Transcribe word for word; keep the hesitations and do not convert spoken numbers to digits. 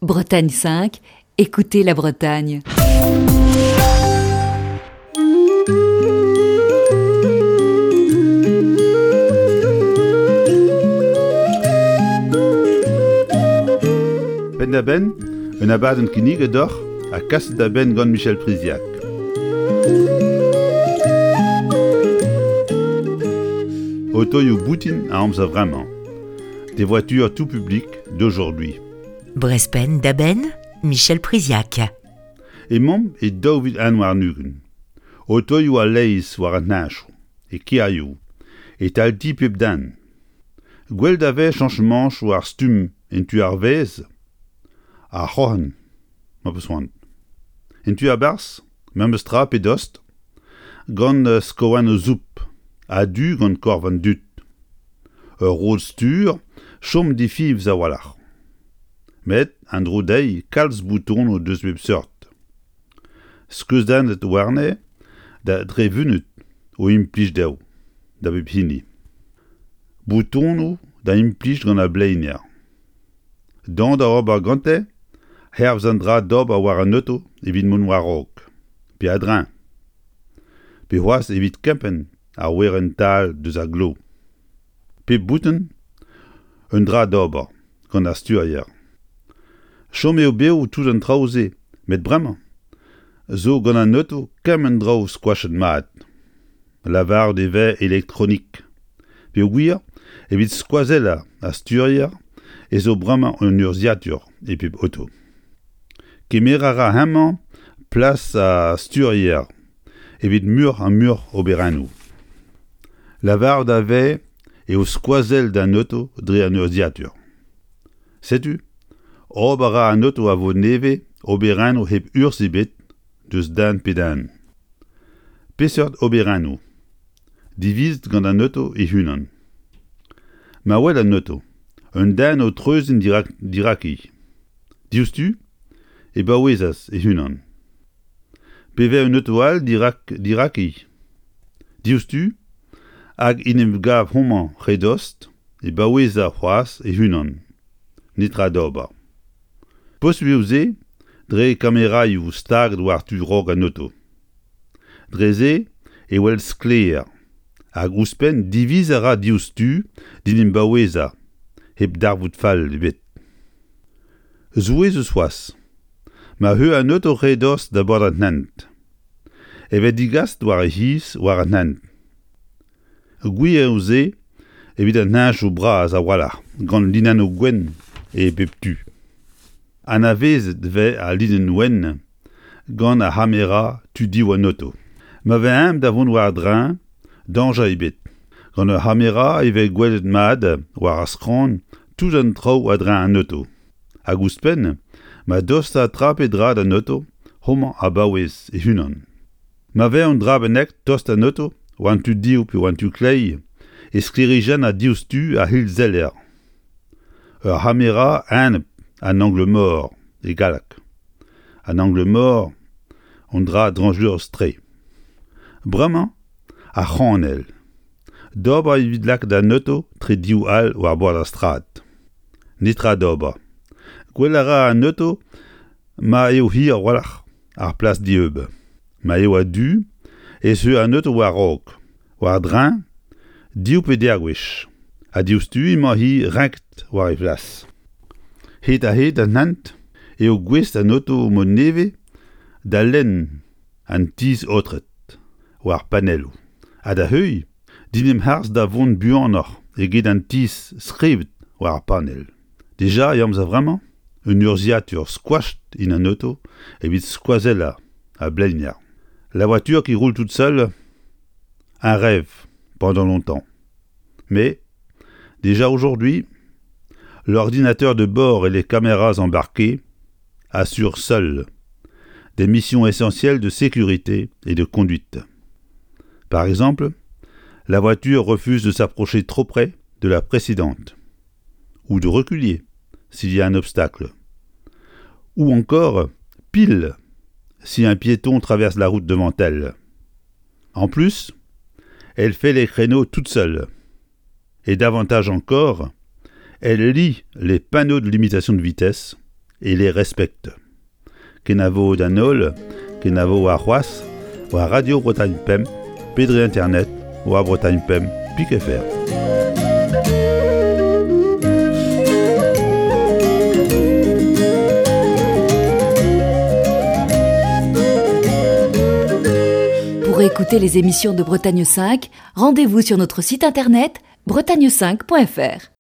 Bretagne cinq, écoutez la Bretagne. Penn-da-benn, un abadenn kinniget deoc'h ha kaset da benn gant Michel Priziac. Otoioù boutin a amzer vremañ. Des voitures tout public d'aujourd'hui. Brezh Penn-da-Benn, Michel Priziac. Emaomp e daou vil un warn-ugent. Otoioù a-leizh war an heñchoù, e kêrioù, e-tal ti pep den. Gwell da vez cheñchamantoù war stumm en tu ar vaez, ar c'hroc'hen, ma peus c'hoant. En tu a-barzh, memes tra pe dost, gant skouarnoù soupl, a-du gant korf an dud. Ur rod-stur chom difiñv a-walc'h. Met an dro dezhi kalz boutonoù deus bep seurt. Skeudennet warne da dre vunut o implij dezho, da bep hini. Boutonoù da implij gant ar bleiner. Dont da ober gante, hervez an dra d'ober war an oto evit mont war-raok, pe a-dreñv. Pe c'hoazh evit kempenn ar werenn-tal deus ar glav. Pep bouton, un dra d'ober gant ar sturier. Chom eo bev tout an traoù-se, met bremañ zo gant an oto kement draoù skoachet mat. Lavaret e vez elektronik. Peogwir, evit skoazellañ ar sturier ez zo bremañ un urzhiatur e pep oto. Kemer a ra hemañ plas ar sturier evit muioc'h ha muioc'h oberennoù. Lavaret a vez eo skoazell d'an oto dre an urzhiatur. Setu, ober a ra an oto a vo nevez oberennoù hep urzh ebet deus den pe den. Peseurt oberennoù? Divizet gant an oto e-unan. Ma wel an oto, un den o treuziñ dirak, diraki. Diouzhtu e baouezas e-unan. Pe vez un oto all dirak, diraki. Diouzhtu hag en em gav homañ re dost e baoueza c'hoazh e-unan. Netra d'ober. Posupl eo se dre kameraioù staget war tu raok an oto. Dre se e wel sklaer hag ouzhpenn diviz a ra diouzhtu d'en em baouezañ hep darvoud fall ebet. Souezhus c'hoazh, ma eur an oto re dost da bord an hent. E vez digaset war e c'hiz war an hent. Gwir eo se evit an heñchoù bras a-walc'h gant linennoù gwenn e bep tu. Anavezet vez al linenn wenn gant ar c'hamera tu-div an oto. Ma vez aet da vont war-dreñv, dañjer ebet. Gant ur c'hamera e vez gwelet mat war ar skramm tout an traoù a-dreñv an oto. Hag ouzhpenn, ma dosta tra pe dra d'an oto, homañ a baouez e-unan. Ma vez un dra bennak tost d'an oto, war an tu dehoù pe war an tu kleiz, e sklêrijenn diouzhtu ar c'hilseller. Ur c'hamera enep an angle mort e galleg. An angle mort, un dra dañjerus-tre. Bremañ, ar c'hranell. D'ober evit lakaat an oto tre div all war bord ar strad. Netra d'ober. Gwell a ra an oto ma eo hir a-walc'h ar plas dieub. Ma eo a-du ez eo an oto war-raok, war-dreñv, div pe deir gwech. Ha diouzhtu emañ-hi renket war he flas. Hed-ha-hed an hent eo gouest an oto mod nevez da lenn an tizh aotret war panelloù. Ha da heuilh, d'en em harz da vont buanoc'h eget an tizh skrivet war ar panell. Dija e amzer vremañ, un urzhiatur skoachet en an oto evit skoazellañ ar bleiner. La voiture qui roule toute seule, un rêve pendant longtemps. Mais, déjà aujourd'hui, l'ordinateur de bord et les caméras embarquées assurent seuls des missions essentielles de sécurité et de conduite. Par exemple, la voiture refuse de s'approcher trop près de la précédente ou de reculer s'il y a un obstacle, ou encore pile si un piéton traverse la route devant elle. En plus, elle fait les créneaux toute seule. Et davantage encore, elle lit les panneaux de limitation de vitesse et les respecte. Kenavo d'an holl, kenavo ar c'hoazh, war Radio Bretagne Pemp, pe dre internet, war Bretagne Pemp, pik F R. Pour écouter les émissions de Bretagne cinq, rendez-vous sur notre site internet bretagne cinq point F R.